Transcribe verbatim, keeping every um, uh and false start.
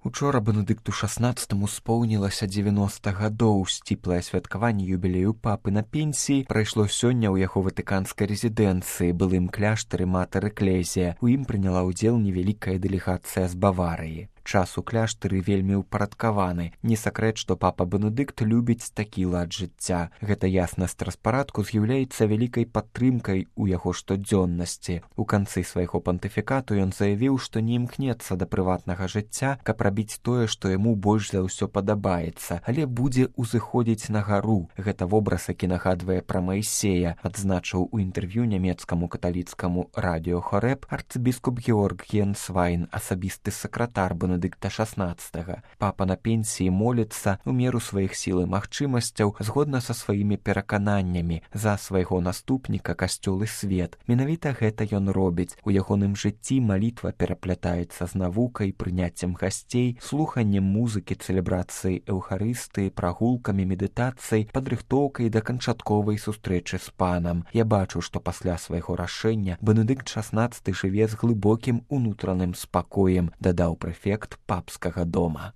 Учора Бенедыкту шаснаццатаму споўнілася дзевяноста гадоў. Сціплае святкаванне юбілею папы на пенсіі прайшло сёння ў яго ватыканскай рэзідэнцыі, былым кляштары Матэр Эклезія. У ім прыняла ўдзел невялікая дэлегацыя з Баварыі. Час у кляштары вельмі ўпарадкаваны. Не сакрэт, што папа Бенедыкт любіць такі лад жыцця. Гэта яснасць распарадку з'яўляецца вялікай падтрымкай у яго штодзённасці. У канцы свайго пантыфікату ён заявіў, што не імкнецца да прыватнага жыцця, каб рабіць тое, што яму больш за ўсё падабаецца, але будзе ўзыходзіць на гару. Гэта вобраз, які нагадвае пра Маісея, адзначыў у інтэрв'ю нямецкаму каталіцкаму радыё Хорэб арцыбіскуп Георг Генсвайн, асабісты сакратар Бенедыкта шаснаццатага. Папа на пенсіі моліцца у меру сваіх сіл і магчымасцяў згодна са сваімі перакананнямі за свайго наступніка касцёл і свет. Менавіта гэта ён робіць. У ягоным жыцці малітва пераплятаецца з навукай, прыняццем гасцей, слуханнем музыкі, цэлебрацыяй эўхарыстыі, прагулкамі, медытацыяй, падрыхтоўкай да канчатковай сустрэчы з панам. Я бачу, што пасля свайго рашэння Бенедыкт шаснаццаты жыве з глыбокім унутраным спакоем, дадаў прэфект папскага дома.